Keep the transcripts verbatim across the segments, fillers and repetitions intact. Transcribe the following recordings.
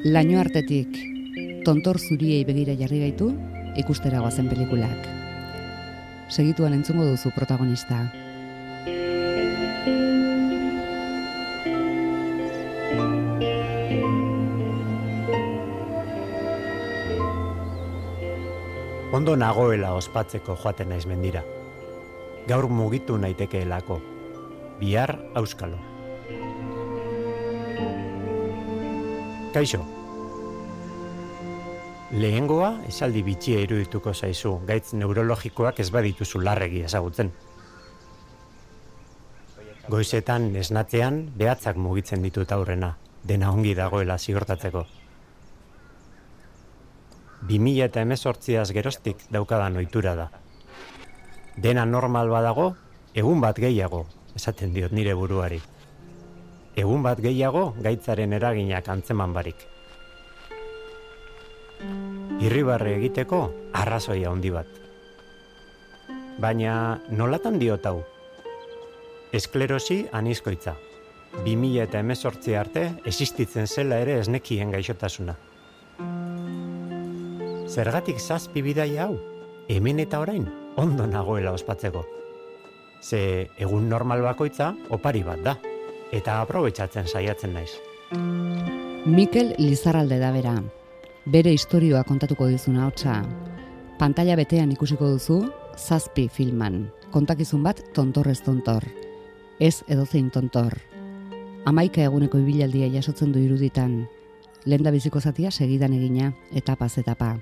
Laino artetik tontor zuriei begira jarri gaitu ikustera goazen pelikulak. Segituan entzungo duzu protagonista. Ondo nagoela ospatzeko joaten naiz mendira. Gaur mugitu naitekeelako. Bihar auskalo. Kaixo. Lehengoa esaldi bitxia irudituko zaizu, gaitz neurologikoak ez badituzu larregi ezagutzen. Goizetan esnatzean behatzak mugitzen ditut aurrena, dena ongi dagoela ziurtatzeko. bi mila hemezortziaz geroztik daukadan ohitura da. Dena normal badago, egun bat gehiago, esaten diot nire buruari. Egun bat gehiago gaitzaren eraginak antzeman barik. Irribarre egiteko arrazoia handi bat. Baina nolatan diot hau? Esklerosi anizkoitza. bi mila hemezortzi arte existitzen zela ere ez nekien gaixotasuna. Zergatik zazpi bidaia hau? Hemen eta orain ondo nagoela ospatzeko. Ze egun normal bakoitza opari bat da, eta aprobetxatzen saiatzen naiz. Mikel Lizarralde da bera. Bere istorioa kontatuko dizuna hotza. Pantalla betean ikusiko duzu zazpi filman. Kontakizun bat tontorrez tontor. Ez edozein tontor. Hamaika eguneko ibilaldia jasotzen du iruditan. Lehendabiziko zatia segidan egina, etapaz etapa.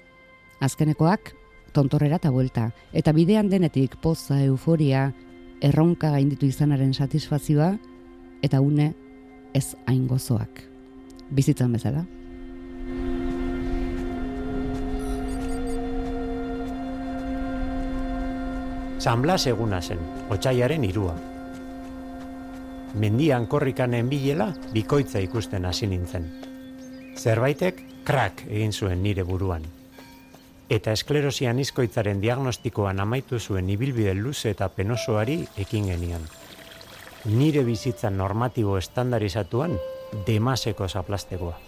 Azkenekoak tontorrera eta buelta, eta bidean denetik poza, euforia, erronka gainditu izanaren satisfazioa, eta une ez hain gozoak. Bizitzan bezala. San Blas eguna zen, otsaiaren hirua. Mendian korrikanen bilela bikoitza ikusten hasi nintzen. Zerbaitek krak egin zuen nire buruan. Eta esklerosi anizkoitzaren diagnostikoan amaitu zuen ibilbide luze eta penosoari ekin genian. Nire bizitza normatibo estandarizatuan demaseko zaplastegoa.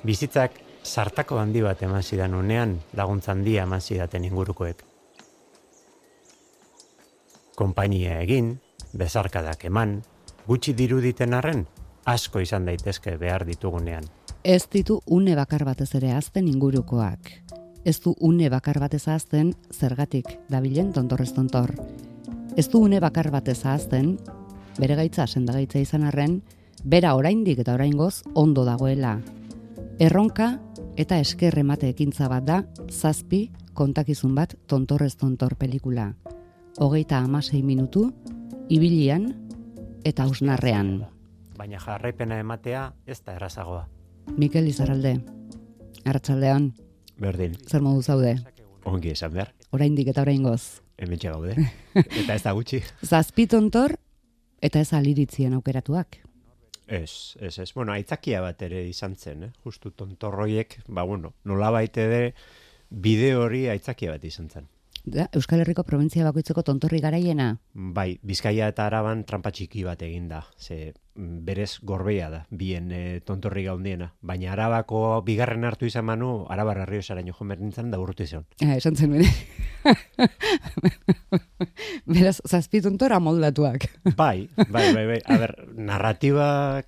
Bizitzak sartako handi bat eman zidan unean, laguntza handia eman zidaten ingurukoek. Konpainia egin, bezarkadak eman, gutxi diruditen arren, asko izan daitezke behar ditugunean. Ez ditu une bakar batez ere azten ingurukoak. Ez du une bakar batez azten zergatik dabilen tontorrez tontor. Ez du une bakar batez azten, bere gaitza sendagaitza izan arren, bera oraindik eta oraingoz ondo dagoela. Erronka eta esker emate ekintza bat da zazpi kontakizun bat tontorrez tontor pelikula. Hogeita hamasei minutu, ibilian eta hausnarrean. Baina jarraipena ematea ez da errazagoa. Mikel Lizarralde, arratsaldean. Berdin. Zer modu zaude? Ongi esan behar. Oraindik eta oraingoz. Hementxe gaude. Eta ez da gutxi. Zazpi tontor eta ez aliritzien aukeratuak. Ez, ez, ez. Bueno, aitzakia bat ere izan zen, eh? Justu tontorroiek, ba, bueno, nolabait ere bideo hori aitzakia bat izan zen. Da, Euskal Herriko provintzia bakoitzeko tontorri garaiena? Bai, Bizkaia eta Araban trampa txiki bat egin da. Ze berez gorbeia da, bien e, tontorri gaundiena. Baina Arabako bigarren hartu izan manu, Arabar Arriosaraino jo nintzen da urrutu izan. Ah, esan zen bene. Beraz, zazpi tontora moldatuak. Bai, bai, bai, bai. A ber, narratiba,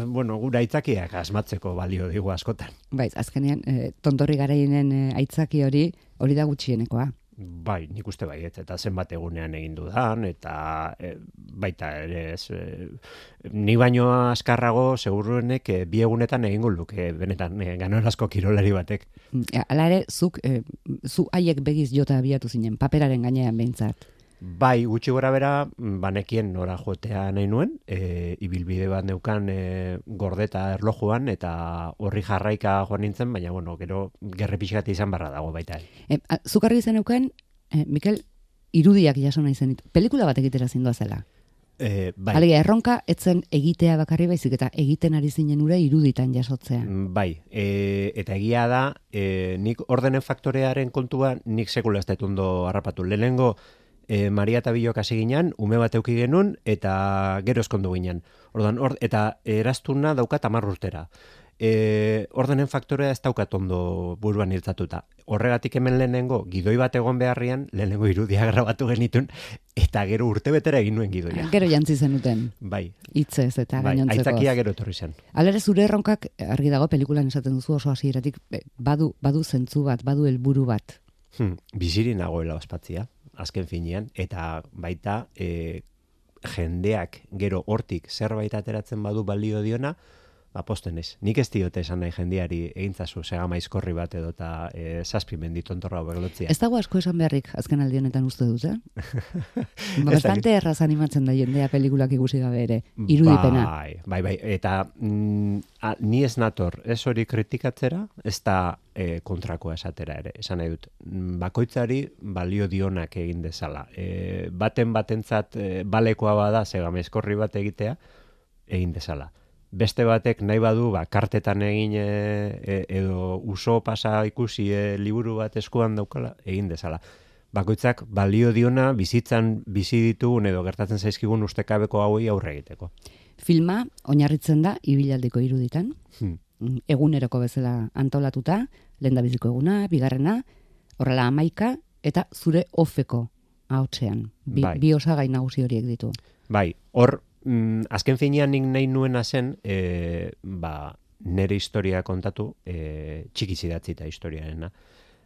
bueno, gura aitzakiak asmatzeko balio digu askotan. Bai, azkenean, e, tontorri garaienen e, aitzaki hori, hori da gutxienekoa. Bai, nik uste bai, eta zenbat egunean egin dudan, eta e, baita ere ez, e, ni baino askarrago seguruenek e, bi egunetan egingo luke, benetan, e, ganorazko kirolari batek. Hala ere, zuk, e, zu haiek begiz jota abiatu zinen, paperaren gainean behintzat. Bai, gutxi gora bera, banekien nora jotea nahi nuen, e, ibilbide bat neukan e, gordeta erlojuan, eta horri jarraika joan nintzen, baina, bueno, gero gerre pixkat izan barra dago baita. E, zuk argi zen neuken, e, Mikel, irudiak jaso nahi zen. Pelikula bat egitera zindoa zela. E, bai. Alegia, erronka etzen egitea bakarri baizik eta egiten ari zinen ura iruditan jasotzea. Bai, e, eta egia da, e, nik ordenen faktorearen kontua nik sekula ez dut ondo harrapatu. Lehenengo, e, Maria eta Bilok hasi ginen, ume bat euki genuen, eta gero eskondu ginen. Ordan, or, eta eraztuna daukat hamar urtera. E, ordenen faktorea ez daukat ondo buruan hiltzatuta. Horregatik hemen lehenengo, gidoi bat egon beharrian, lehenengo irudia grabatu genitun, eta gero urte betera egin nuen gidoia. Gero jantzi zenuten. Bai. Hitzez eta bai, gainontzekoz. aitzakia gero etorri zen. Alere zure erronkak, argi dago pelikulan esaten duzu oso hasieratik badu, badu zentzu bat, badu helburu bat. Hmm, biziri nagoela ospatzia, azken finean, eta baita e, jendeak gero hortik zerbait ateratzen badu balio diona, aposten ez. Nik ez diote esan nahi jendeari egintzazu segama izkorri bat edo eta e, zazpi menditontorra beglotzia. Ez dago asko esan beharrik azken aldi honetan uste dut, eh? Bastante erraz animatzen da jendea pelikulak ikusi gabe ere, irudipena. Bai, bai, bai. Eta mm, a, ni ez nator, ez hori kritikatzera, ez da e, kontrakoa esatera ere. Esan nahi dut, bakoitzari balio dionak egin dezala. E, baten batentzat e, balekoa bada segama izkorri bat egitea, egin dezala. Beste batek nahi badu, ba, kartetan egin e, edo uso pasa ikusi e, liburu bat eskuan daukala, egin dezala. Bakoitzak balio diona bizitzan bizi ditugun edo gertatzen zaizkigun ustekabeko hauei aurre egiteko. Filma oinarritzen da ibilaldiko iruditan, Hmm. eguneroko bezala antolatuta, lehendabiziko eguna, bigarrena, horrela hamaika, eta zure ofeko ahotsean. Bi, Bai. bi osagai nagusi horiek ditu. Bai, hor, mm, azken finean nik nahi nuena zen, e, ba, nere historia kontatu, e, txiki zidatzita historiarena,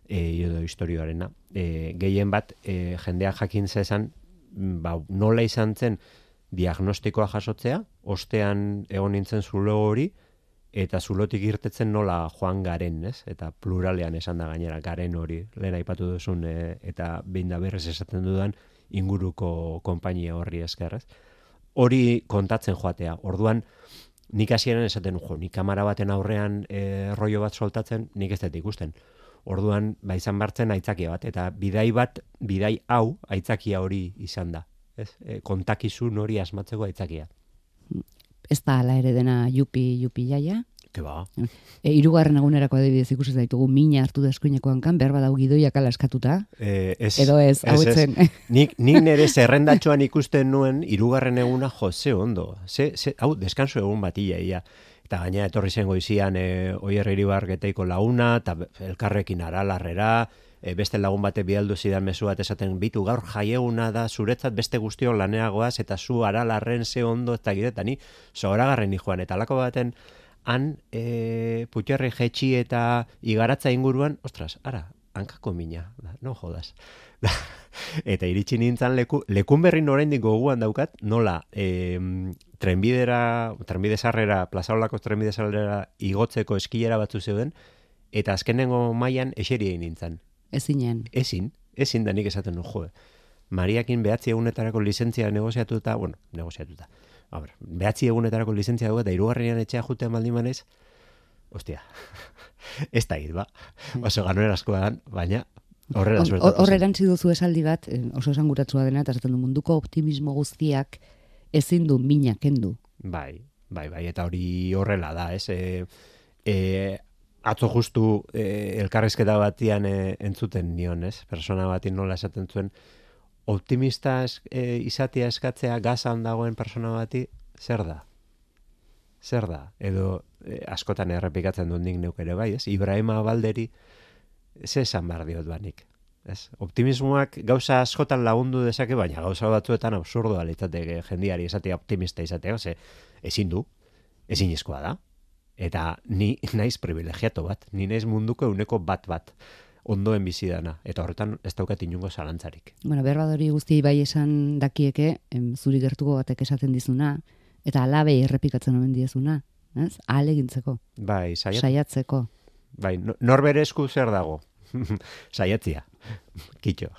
e, edo historioarena. E, gehien bat, e, jendeak jakin zezan, ba, nola izan zen diagnostikoa jasotzea, ostean egon nintzen zulo hori, eta zulotik irtetzen nola joan garen, ez? Eta pluralean esan da gainera, garen hori, lehen aipatu duzun, e, eta behin da berrez esaten dudan, inguruko konpainia horri esker, ez? Hori kontatzen joatea. Orduan, nik hasieran esaten, jo, nik kamera baten aurrean e, rollo bat soltatzen, nik ez dut ikusten. Orduan, ba, izan bartzen aitzakia bat, eta bidai bat, bidai hau, aitzakia hori izan da. Ez? E, kontakizun hori asmatzeko aitzakia. Ez da ala ere dena jupi, jupi jaia. Ke ba. E, irugarren egunerako adibidez ikusi zaitugu mina hartu da eskuineko hankan, behar badau gidoiak ala eskatuta. E, ez, edo ez, hau etzen. Nik, nik nire zerrendatxoan ikusten nuen irugarren eguna jo, ze ondo. Ze, ze, hau, deskanso egun bat ia. Eta gaina etorri zen goizian e, Oier Iribargeteiko laguna, eta elkarrekin aralarrera, e, beste lagun bate bialdu zidan mezu bat esaten, bitu gaur jaieguna da, zuretzat beste guztiok laneagoaz, eta zu aralarren ze ondo, eta giretan, ni zoragarren joan, eta alako baten, han e, putxerri jetxi eta igaratza inguruan, ostras, ara, hankako mina, da, no jodas. Eta iritsi nintzen leku, lekun berrin oraindik goguan daukat, nola e, trenbidera, trenbide sarrera, plazaolako trenbide sarrera igotzeko eskilera batzu zeuden, eta azkenengo mailan eseri egin nintzen. Ezinen. Ezin, ezin da nik esaten, jo, Mariakin behatzi egunetarako lizentzia negoziatuta, bueno, negoziatuta, Abra, behatzi egunetarako lizentzia dugu eta hirugarrenean etxea jutean baldin manez, ostia, ez da hit, ba. Oso ganuen askoan, baina horrela suertatu. Horre erantzi duzu esaldi bat, oso esanguratsua dena, eta esaten du munduko optimismo guztiak ezin du mina kendu. Bai, bai, bai, eta hori horrela da, ez? E, e, atzo justu e, elkarrizketa batian e, entzuten nion, ez? Persona batin nola esaten zuen, optimista es, e, izatea eskatzea gazan dagoen persona bati, zer da? Zer da? Edo e, askotan errepikatzen dut nik neuk ere bai, ez? Ibrahima Balderi, ze esan behar diot banik. Ez? Optimismoak gauza askotan lagundu dezake, baina gauza batzuetan absurdoa litzateke jendiari esatea optimista izatea, ze ezin du, ezinezkoa da. Eta ni naiz privilegiatu bat, ni naiz munduko euneko bat bat ondoen bizi dana, eta horretan ez daukat inungo zalantzarik. Bueno, berbadori guzti bai esan dakieke, em, zuri gertuko batek esaten dizuna, eta alabei errepikatzen omen diezuna, ez? Ahalegintzeko. Bai, saiat... Saiatzeko. Bai, norbere esku zer dago? Saiatzia, kitxo.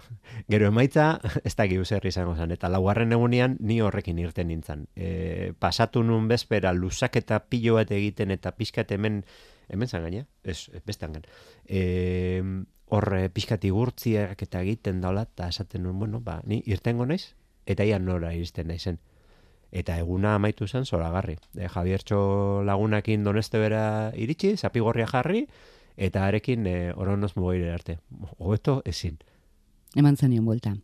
Gero emaitza, ez da giu zer izango zen, eta laugarren egunean ni horrekin irten nintzen. E, pasatu nun bezpera, lusaketa pilo bat egiten, eta pixkat hemen, hemen zan gaina? Ez, bestean gan. E, horre pixkati gurtziak eta egiten daula, eta esaten nuen, bueno, ba, ni irtengo naiz, eta ia nora iristen naizen. Eta eguna amaitu zen zoragarri. E, Javiertxo lagunakin Doneste bera iritsi, zapigorria jarri, eta arekin e, oronoz mugaire arte. Hobeto ezin. Eman zenion buelta.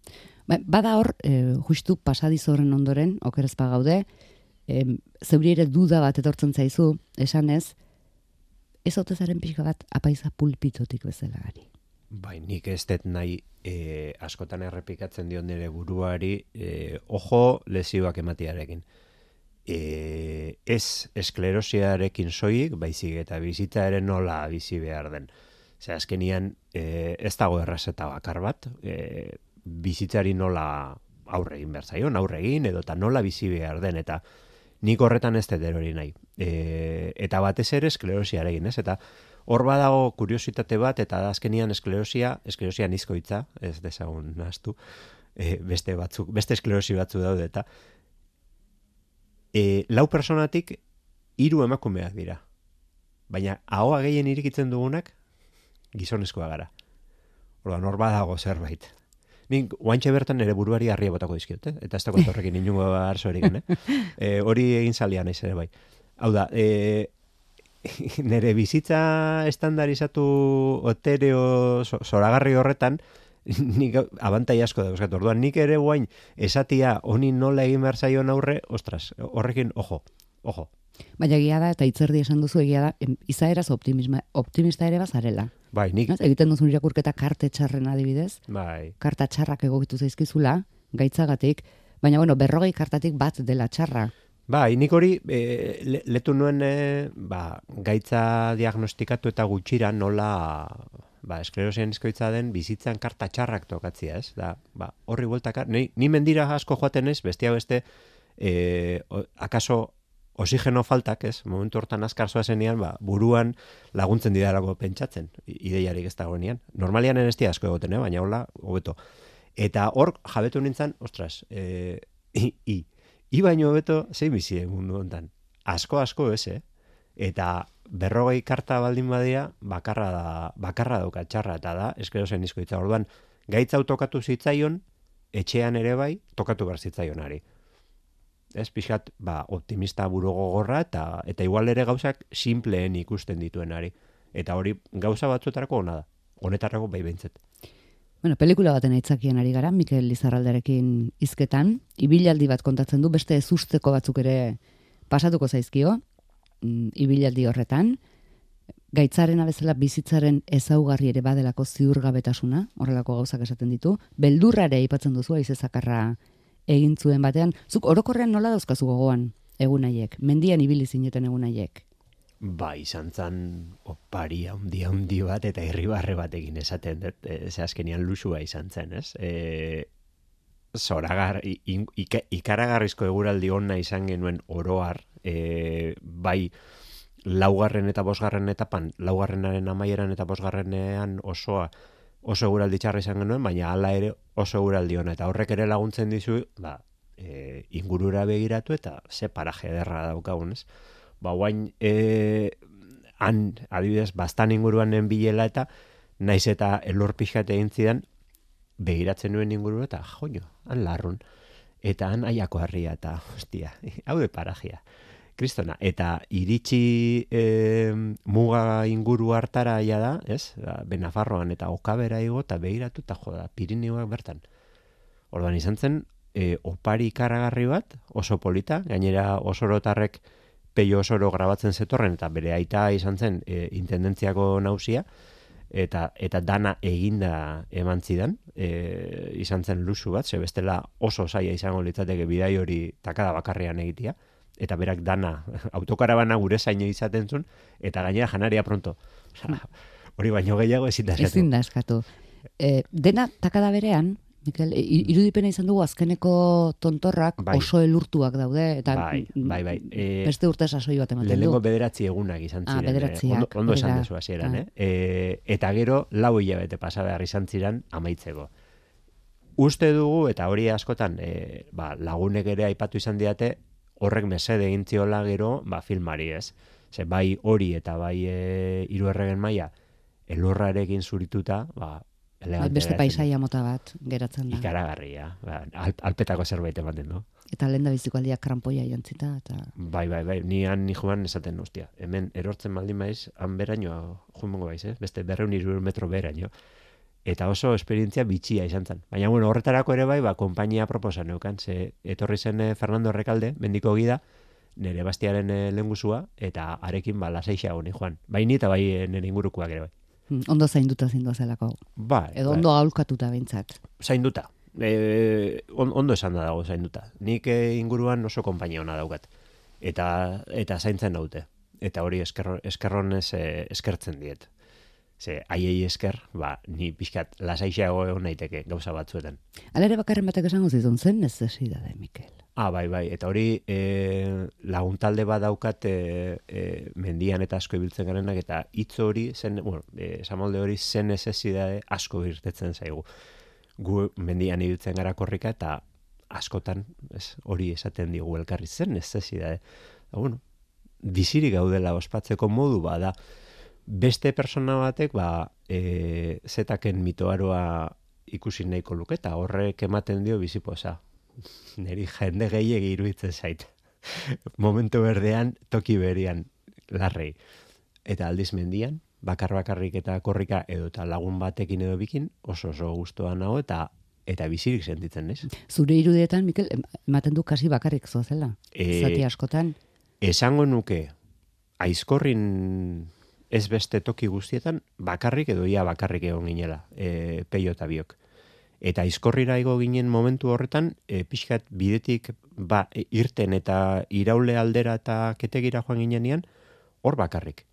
Ba, bada hor, e, justu pasadizo horren ondoren, okerezpa gaude, e, zeuri ere duda bat etortzen zaizu, esanez, ez otezaren pixka bat apaiza pulpitotik bezala gari. Bai, nik ez dut nahi e, askotan errepikatzen dion nire buruari, e, ojo lesioak ematiarekin. E, ez esklerosiarekin soilik, baizik eta bizitza ere nola bizi behar den. Zer, azkenian e, ez dago errazeta bakar bat, e, bizitzari nola aurre egin behar zaion, aurre egin, edo eta nola bizi behar den, eta nik horretan ez dut erori nahi. E, eta batez ere esklerosiarekin, ez? Eta hor badago kuriositate bat, eta azkenian esklerosia, esklerosia nizkoitza, ez dezagun nahaztu, e, beste batzuk, beste esklerosi batzu daude, eta e, lau personatik hiru emakumeak dira. Baina ahoa gehien irikitzen dugunak gizonezkoa gara. Orduan, hor badago zerbait. Nik oantxe bertan nire buruari harria botako dizkiot, eh? Eta ez da kontorrekin inungo arzorik, eh? E, hori egin zalia naiz ere bai. Hau da, e, nire bizitza estandarizatu otereo zoragarri horretan, nik abantai asko da, euskatu. Orduan, nik ere guain esatia honi nola egin behar zaion aurre, ostras, horrekin, ojo, ojo. Baina egia da, eta itzerdi esan duzu egia da, em, izaeraz optimisma, optimista ere bazarela. Bai, nik... Ez, egiten duzun irakurketa karte txarren adibidez, bai. Karta txarrak egokitu zaizkizula, gaitzagatik, baina bueno, berrogei kartatik bat dela txarra. Bai, nik hori e, le, letu nuen e, ba, gaitza diagnostikatu eta gutxira nola ba, esklerosian izkoitza den bizitzan karta txarrak tokatzia, ez? Da, ba, horri bueltaka, ni, ni mendira asko joaten ez, bestia beste, e, o, akaso oxigeno faltak, ez? Momentu hortan azkar zoazenean, ba, buruan laguntzen didalako pentsatzen, ideiarik ez dagoenean. Normalian enestia asko egoten, eh? Baina hola, hobeto. Eta hor, jabetu nintzen, ostras, e, i, i, i baino hobeto, zein bizi mundu hontan. Asko, asko ez, eh? Eta berrogei karta baldin badia, bakarra da, bakarra dauka txarra, eta da, esklerosen izkoitza. Orduan, gaitza tokatu zitzaion, etxean ere bai, tokatu behar zitzaionari. Ez, pixkat, ba, optimista buru gogorra, eta, eta igual ere gauzak simpleen ikusten dituenari. Eta hori gauza batzuetarako ona da. Honetarako bai behintzet. Bueno, pelikula baten aitzakien ari gara, Mikel Lizarraldarekin hizketan, ibilaldi bat kontatzen du, beste ezusteko batzuk ere pasatuko zaizkio, mm, ibilaldi horretan, gaitzaren abezela bizitzaren ezaugarri ere badelako ziurgabetasuna, horrelako gauzak esaten ditu, beldurra ere aipatzen duzu, haize zakarra egin zuen batean, zuk orokorrean nola dauzkazu gogoan egunaiek, mendian ibili zineten egunaiek? Ba, izan zan opari handi handi bat eta irribarre batekin esaten dut, e, ze azkenian lusua izan zen, ez? E, zoragar, in, ika, ikaragarrizko eguraldi ona izan genuen oroar, e, bai laugarren eta bosgarren etapan, laugarrenaren amaieran eta bosgarrenean osoa, oso eguraldi txarra izan genuen, baina hala ere oso eguraldi ona, eta horrek ere laguntzen dizu, ba, e, ingurura begiratu eta ze paraje ederra daukagun, ez? Ba, guain, e, han, adibidez, bastan inguruan bilela eta naiz eta elur pixkat egin zidan, begiratzen nuen ingurura eta joño, han larrun. Eta han aiako harria eta, hostia, hau de parajea. Kristona, eta iritsi e, muga inguru hartara ja da, ez? Benafarroan eta Okabera igo eta begiratu eta joda, Pirineoak bertan. Orduan izan zen, e, opari ikaragarri bat, oso polita, gainera osorotarrek peio osoro grabatzen zetorren, eta bere aita izan zen e, intendentziako nausia, eta eta dana eginda eman zidan, e, izan zen luxu bat, ze bestela oso zaila izango litzateke bidai hori takada bakarrean egitea, eta berak dana, autokarabana gure zaino izaten zuen, eta gainera janaria pronto. Hori baino gehiago ezin da eskatu. Ezin da eskatu. E, dena takada berean, Mikel, irudipena izan dugu azkeneko tontorrak bai. Oso elurtuak daude, eta bai, bai, bai. E, beste urte sasoi bat ematen du. Lehenengo bederatzi egunak izan ziren. Ah, bederatziak. Ondo, ondo esan dezu hasieran, ah. eh? E, eta gero lau hilabete pasa behar izan ziren amaitzeko. Uste dugu, eta hori askotan e, ba, lagunek ere aipatu izan diate, horrek mesede egin ziola gero ba, filmari, ez? Ze bai hori eta bai e, Hiru Erregen Maila elurrarekin zurituta, ba, elegante Beste geratzen paisaia mota bat geratzen da. da. Ikaragarria, ba, alp, alpetako zerbait ematen du. Eta lehen da biziko aldiak krampoia jantzita. Eta... Bai, bai, bai, ni han ni joan esaten ostia. Hemen erortzen baldin maiz, han beraino joango baiz, eh? Beste berrehun hiru metro beraino. Eta oso esperientzia bitxia izan zen. Baina, bueno, horretarako ere bai, ba, konpainia proposa neukan, ze etorri zen eh, Fernando Rekalde, mendiko gida, nire bastiaren eh, lehengusua, eta arekin ba, lasaixa honi joan. Bai ni eta bai eh, nire ingurukoak ere bai. Hmm, ondo zainduta zindu zelako. Bai, Edo bai. ondo aholkatuta behintzat. Zainduta. E, on, ondo esan da dago zainduta. Nik eh, inguruan oso konpainia ona daukat. Eta, eta zaintzen naute. Eta hori eskerro, eskerronez eh, eskertzen diet. Ze, aiei esker, ba, ni pixkat lasaiago egon naiteke gauza batzuetan. Alere bakarren batek esango zizun, zen necesidade, Mikel. Ah, bai, bai, eta hori e, laguntalde bat daukat e, e, mendian eta asko ibiltzen garenak, eta hitz hori, zen, bueno, e, esamolde hori zen necesidade asko irtetzen zaigu. Gu mendian ibiltzen gara korrika, eta askotan ez, hori esaten digu elkarri zen necesidade. Da, bueno, bizirik gaudela ospatzeko modu bada, beste persona batek ba, e, zetaken mitoaroa ikusi nahiko luke, eta horrek ematen dio bizipoza. Neri jende gehiegi iruditzen zait. Momentu berdean, toki berian, larrei. Eta aldiz mendian, bakar-bakarrik eta korrika edo eta lagun batekin edo bikin, oso oso gustoa nago eta eta bizirik sentitzen, ez? Zure irudietan, Mikel, ematen du kasi bakarrik zoazela. E, Zati askotan. Esango nuke, aizkorrin ez beste toki guztietan, bakarrik edo ia bakarrik egon ginela, e, peio eta biok. Eta aizkorrira igo ginen momentu horretan, e, pixkat bidetik ba, e, irten eta iraule aldera eta ketegira joan ginean, hor bakarrik.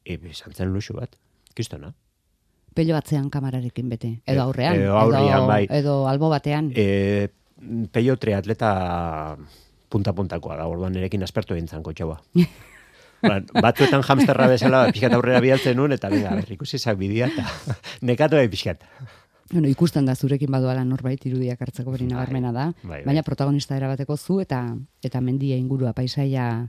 E, izan zen luxu bat, kistona. Pello batzean kamararekin bete. Edo E- aurrean. edo aurrean, bai. Edo albo batean. E, peio triatleta punta-puntakoa da, orduan erekin aspertu egin zanko txaua. Ba, batzuetan hamsterra bezala pixkat aurrera bialtzen nuen, eta venga, ber, ikusi zak bidia, eta nekatu egin pixkat. Bueno, ikusten da zurekin baduala norbait irudiak hartzeko hori Bai, nabarmena da, bai, bai. baina protagonista erabateko zu eta eta mendia ingurua paisaia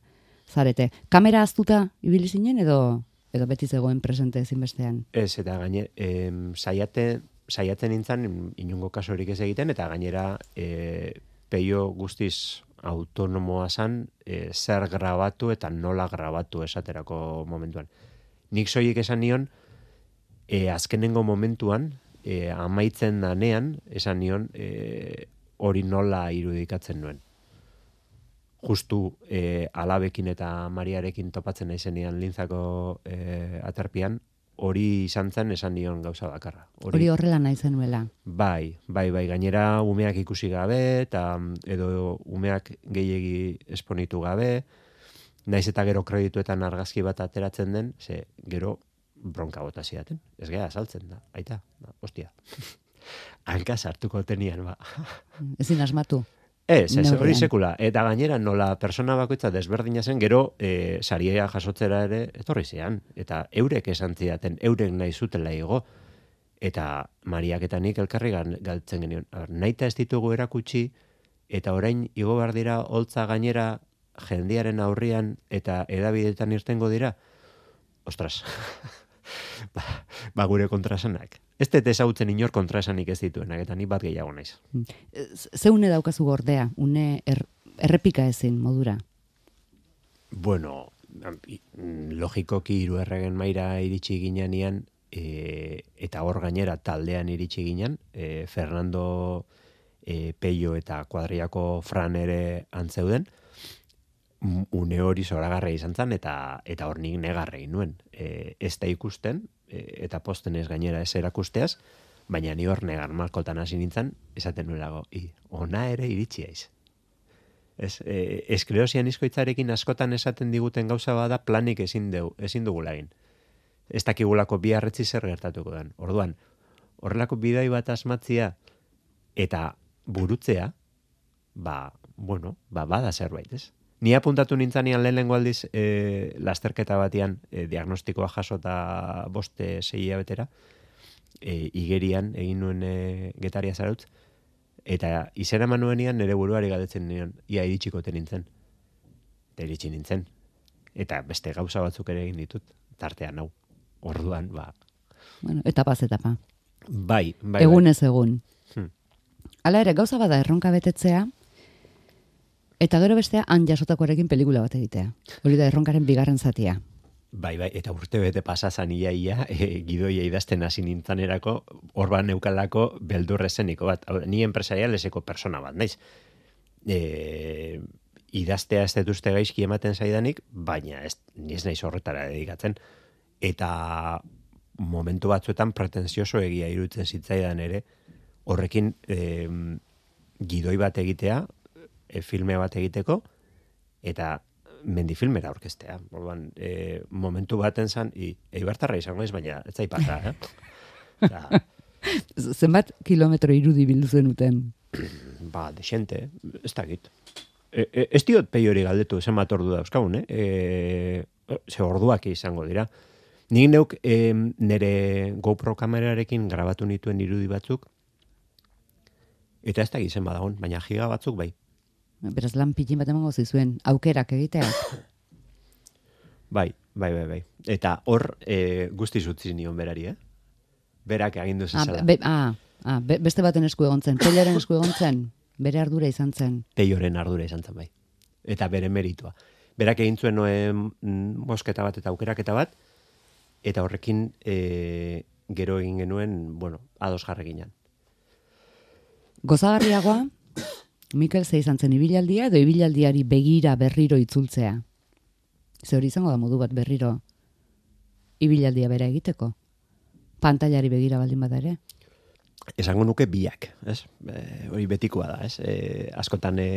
zarete. Kamera aztuta ibili zinen edo edo beti zegoen presente ezinbestean? Ez, eta gaine, em, saiate, saiatzen nintzen inungo kasurik ez egiten, eta gainera e, peio guztiz autonomoa zan, e, zer grabatu eta nola grabatu esaterako momentuan. Nik soilik esan nion, e, azkenengo momentuan, e, amaitzen danean, esan nion, e, hori nola irudikatzen nuen. Justu e, alabekin eta Mariarekin topatzen naizenean lintzako e, aterpian, hori izan zen esan nion gauza bakarra. Hori horrela nahi zenuela. Bai, bai, bai, gainera umeak ikusi gabe, eta edo umeak gehiegi esponitu gabe, naiz eta gero kredituetan argazki bat ateratzen den, ze gero bronka bota zidaten. Ez gara saltzen da, aita, da, ostia. Hanka sartuko tenian, ba. Ezin asmatu. Ez, ez, hori Neurrian. sekula. Eta gainera nola persona bakoitza desberdina zen, gero e, saria jasotzera ere etorri zean. Eta eurek esan zidaten, eurek nahi zutela igo. Eta Mariak eta nik elkarri gan- galtzen genion. Naita ez ditugu erakutsi, eta orain igo behar dira holtza gainera jendearen aurrian eta edabidetan irtengo dira. Ostras, ba, ba gure kontrasanak. Ez dut ezagutzen inor kontrasanik ez dituenak, eta ni bat gehiago naiz. Ze une daukazu gordea, une er, errepika ezin modura. Bueno, logikoki hiru erregen maira iritsi ginean, e, eta hor gainera taldean iritsi ginen, e, Fernando e, Peio eta kuadriako Fran ere antzeuden, une hori zoragarra izan zen, eta, eta hor nik negarrei nuen. E, ez da ikusten, e, eta posten ez gainera ez erakusteaz, baina ni hor negar malkotan hasi nintzen, esaten nuelago, i, ona ere iritsi aiz. Ez, e, esklerosian izkoitzarekin askotan esaten diguten gauza bada planik ezin, deu, ezin dugula egin. Ez dakigulako bi harretzi zer gertatuko den. Orduan, horrelako bidai bat asmatzia eta burutzea, ba, bueno, ba, bada zerbait, ez? Ni apuntatu nintzanean lehenengo aldiz e, lasterketa batean e, diagnostikoa jaso eta boste sei hilabetera, e, igerian egin nuen e, Getaria Zarautz, eta izena eman nuenean nire buruari galdetzen nion, ia iritsiko te nintzen. Eta iritsi nintzen. Eta beste gauza batzuk ere egin ditut, tartean hau. Orduan, ba, Bueno, etapaz etapa. Bai, bai, Egunez egun. Hmm. Hala ere, gauza bada erronka betetzea, eta gero bestea han jasotakoarekin pelikula bat egitea. Hori da erronkaren bigarren zatia. Bai, bai, eta urte bete pasazan ia, ia, e, gidoia idazten hasi nintzanerako, orban neukalako beldurrezeniko bat. Hau, ni empresarialeseko persona bat, naiz. E, idaztea ez detuzte gaizki ematen zaidanik, baina ez, ni ez naiz horretara dedikatzen. Eta momentu batzuetan pretensioso egia iruditzen zitzaidan ere, horrekin e, gidoi bat egitea, e, filme bat egiteko, eta mendifilmera orkestea. Orduan, e, momentu baten zan, i, eibartarra izango ez, baina ez zaipata, eh? Osa, Zenbat kilometro irudi bildu zenuten? ba, desente, ez dakit. E, e, ez diot peiori galdetu, zenbat ordu dauzkagun, eh? E, ze orduak izango dira. Nik neuk e, nire GoPro kamerarekin grabatu nituen irudi batzuk, eta ez dakit zen badagon, baina giga batzuk bai. Beraz lan pitin bat emango zizuen, aukerak egitea. Bai, bai, bai, bai. Eta hor e, guztiz utzi nion berari, eh? Berak agindu Ah, zezala. be, ah, ah, be, beste baten esku egon zen, Pelloren esku egon zen, bere ardura izan zen. Peioren ardura izan zen bai. Eta bere meritua. Berak egin zuen noen mosketa bat eta aukeraketa bat, eta horrekin e, gero egin genuen, bueno, ados jarreginan. Gozagarriagoa, Mikel ze izan zen ibilaldia edo ibilaldiari begira berriro itzultzea. Ze hori izango da modu bat berriro ibilaldia bera egiteko. Pantailari begira baldin bada ere. Esango nuke biak, ez? E, hori betikoa da, ez? E, askotan e,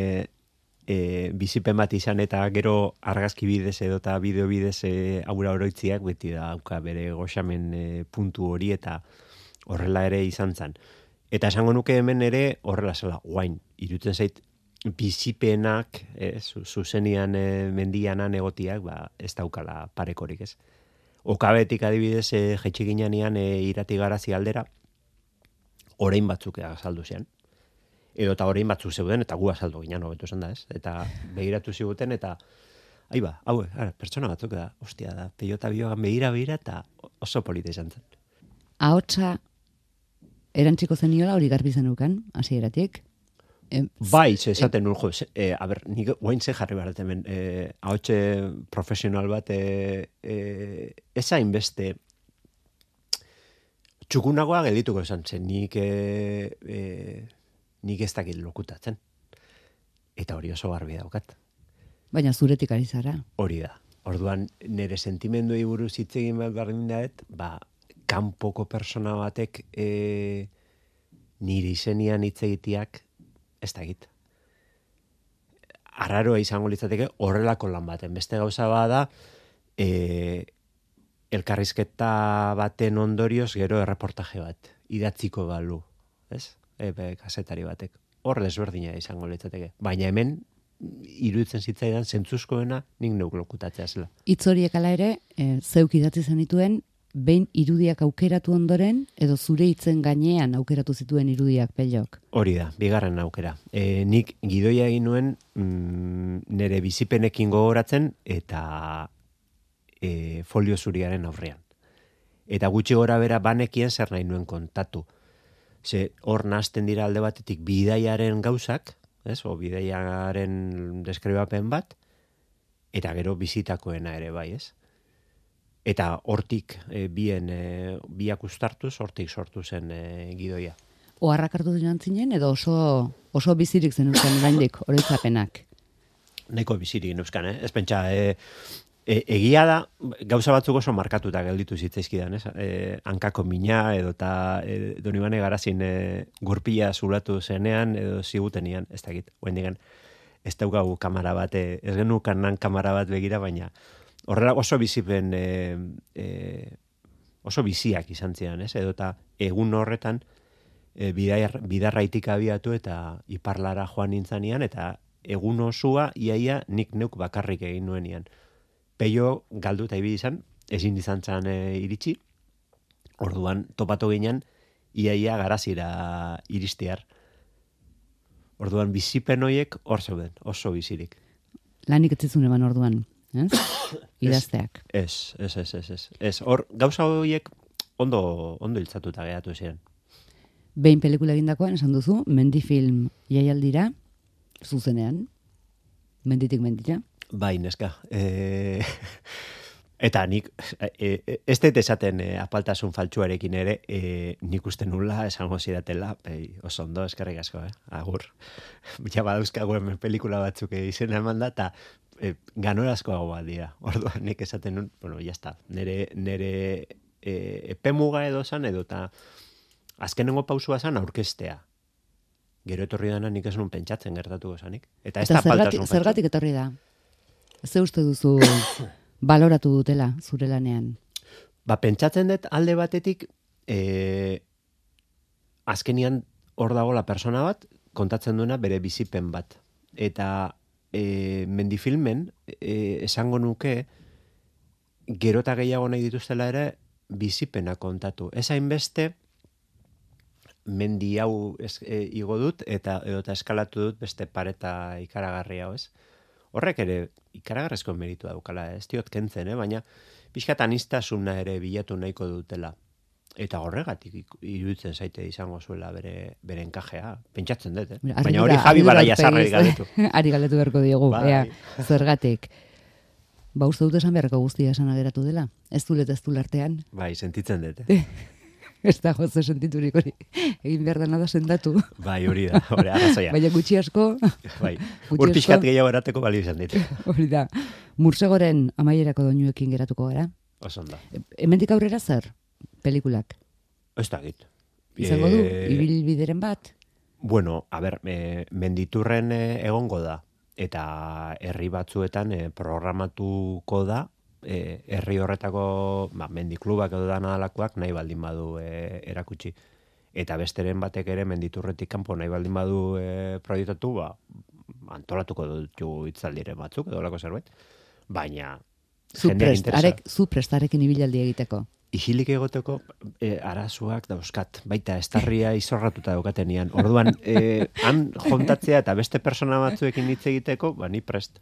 e, bizipen bat izan eta gero argazki bidez edo eta bideo bidez e, aura oroitziak beti da auka bere goxamen e, puntu hori eta horrela ere izan zen. Eta esango nuke hemen ere horrela zela, guain, irutzen zait bizipenak, eh, zuzenian e, mendianan egotiak, ba, ez daukala parekorik, ez? Okabetik adibidez, e, jaitsi ginean e, irati garazi aldera, orain batzuk azaldu zian. Edo eta orain batzuk zeuden, eta gu azaldu ginen, hobetu esan da, ez? Eta begiratu ziguten, eta ahi ba, hau, ara, pertsona batzuk da, ostia da, peiota biogan begira, begira, eta oso polita izan zen. Ahotsa erantziko zeniola hori garbi zenukan, hasieratik. E, Bai, ze esaten nuen, jo, ze, e, a ber, nik guain ze jarri behar hemen, e, ahotxe profesional bat, e, e, ez hainbeste txukunagoa geldituko esan zen, nik, e, e, nik ez dakit lokutatzen. Eta hori oso garbi daukat. Baina zuretik ari zara. Hori da. Orduan, nire sentimenduei buruz hitz egin behar bardin daet, ba, kanpoko persona batek e, nire izenian hitz egiteak ez dakit. Arraroa izango litzateke horrelako lan baten. Beste gauza bada, e, elkarrizketa baten ondorioz gero erreportaje bat. Idatziko balu, ez? Ebe, kasetari batek. Hor desberdina izango litzateke. Baina hemen, iruditzen zitzaidan zentzuzkoena nik neuk lokutatzea zela. Hitz horiek ala ere, e, zeuk idatzi zenituen, behin irudiak aukeratu ondoren, edo zure hitzen gainean aukeratu zituen irudiak Pellok. Hori da, bigarren aukera. E, nik gidoia egin nuen mm, nire bizipenekin gogoratzen eta e, folio zuriaren aurrean. Eta gutxi gora bera banekien zer nahi nuen kontatu. Ze hor nahazten dira alde batetik bidaiaren gauzak, ez? O bidaiaren deskribapen bat, eta gero bizitakoena ere bai, ez? Eta hortik e, bien e, biak ustartuz, hortik sortu zen e, gidoia. Oharrak hartu dinan zinen, edo oso, oso bizirik zenuzkan oraindik oroitzapenak. Nahiko bizirik neuzkan, eh? Ez pentsa, e, e, egia da, gauza batzuk oso markatuta gelditu zitzaizkidan, ez? E, hankako mina, edo eta e, Donibane Garazin e, gurpila zulatu zenean, edo zigutenian, ez dakit, oendigan, ez daukagu kamara bat, e, ez genukan nan kamara bat begira, baina horrela oso bizipen, e, e, oso biziak izan zian, ez? Edo eta egun horretan, e, bidar, bidarraitik abiatu eta iparlara joan nintzanean, eta egun osua iaia nik neuk bakarrik egin nuenian. Peio galdu eta ibili izan, ezin izan zan e, iritsi, orduan topatu ginen, iaia garazira iristear. Orduan bizipen hoiek hor zeuden, oso bizirik. Lanik etzizun eman orduan, ez? Idazteak. Ez, ez, ez, ez, ez. Ez, hor, gauza horiek ondo, ondo hiltzatuta geratu ziren. Behin pelikula egindakoan esan duzu, mendifilm jaialdira, zuzenean, menditik mendira. Bai, neska. E... Eta nik, e, e, ez dut esaten e, apaltasun faltsuarekin ere, e, nik uste nula, esango zidatela, e, oso ondo, eskerrik asko, eh? Agur. Ja badauzkago hemen pelikula batzuk izena eman da, eta e, ganorazko hau bat dira. Orduan, nik esaten nun, bueno, jazta, nere, nere e, epemuga edo zan, edo eta azkenengo pausua zan aurkestea. Gero etorri dana nik ez nun pentsatzen gertatuko zanik. Eta ez da apaltasun faltsu. Zergatik etorri da? Ze uste duzu... baloratu dutela zure lanean? Ba, pentsatzen dut alde batetik e, azkenian hor dago la persona bat kontatzen duena bere bizipen bat. Eta e, mendifilmen e, esango nuke gero eta gehiago nahi dituztela ere bizipena kontatu. Ez hainbeste mendi hau ez, e, igo dut eta edota eskalatu dut beste pareta ikaragarri hau, ez? Horrek ere ikaragarrezko meritu daukala, ez diot kentzen, eh? Baina pixkat anistasuna ere bilatu nahiko dutela. Eta horregatik iruditzen zaite izango zuela bere, bere enkajea. Pentsatzen dut, eh? Mira, baina hori Javi Baraia zarrari galetu. Ari galetu beharko diogu, bai. ea, zergatik. Ba, uste dut esan beharko guztia esan ageratu dela. Ez dulet ez du lartean. Bai, sentitzen dut, eh? Ez da gozo sentiturik hori. Egin behar dena da sendatu. Bai, hori da, hori arrazoia. Baina gutxi asko... Bai, ur pixkat gehiago erateko balio izan dit. Hori da. Mursegoren amaierako doinuekin geratuko gara. Osonda. Hemendik aurrera zer? Pelikulak. Ez da git. Izango du, ibilbideren bat? Bueno, a ber, e, menditurren e, egongo da. Eta herri batzuetan e, programatuko da, E, herri horretako ba, mendiklubak edo dana dalakoak nahi baldin badu e, erakutsi. Eta besteren batek ere menditurretik kanpo nahi baldin badu e, proiektatu, ba, antolatuko dutu hitzaldiren batzuk edo lako zerbait. Baina jendeak interesa. Zu prestarekin ibilaldi egiteko. Isilik egoteko e, arazoak dauzkat, baita estarria izorratuta daukatenean. Orduan, e, han jontatzea eta beste persona batzuekin hitz egiteko, ba, ni prest.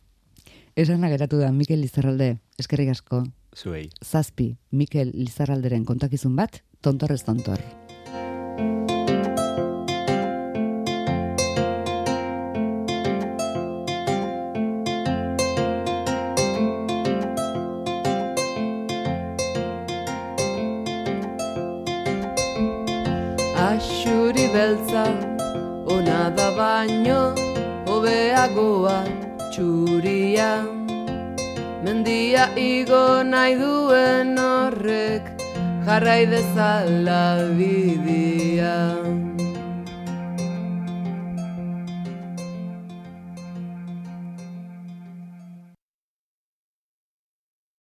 Esan geratu da, Mikel Lizarralde, eskerrik asko. Zuei. Zazpi, Mikel Lizarralderen kontakizun bat, tontorrez tontor. Axuri beltza, ona da baino, hobeagoa txuria. Mendia igo nahi duen horrek, jarrai dezala bidi.